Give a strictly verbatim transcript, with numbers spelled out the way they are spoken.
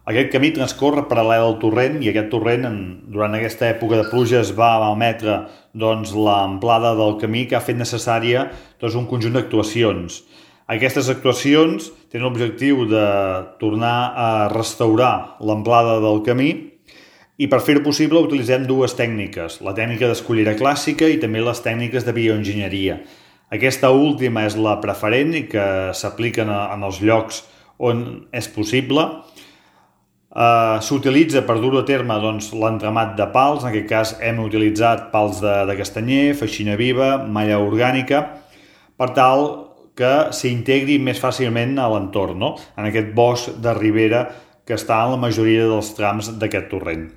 Aquest camí transcorre paral·lel al torrent i aquest torrent, en, durant aquesta època de pluges, va emetre doncs, l'amplada del camí que ha fet necessària doncs, un conjunt d'actuacions. Aquestes actuacions tenen l'objectiu de tornar a restaurar l'amplada del camí i per fer-ho possible utilitzem dues tècniques, la tècnica d'escollera clàssica i també les tècniques de bioenginyeria. Aquesta última és la preferent i que s'aplica en els llocs on és possible. Uh, s'utilitza per dur a terme doncs, l'entramat de pals, en aquest cas hem utilitzat pals de, de castanyer, feixina viva, malla orgànica, per tal que s'integri més fàcilment a l'entorn, no? En aquest bosc de ribera que està en la majoria dels trams d'aquest torrent.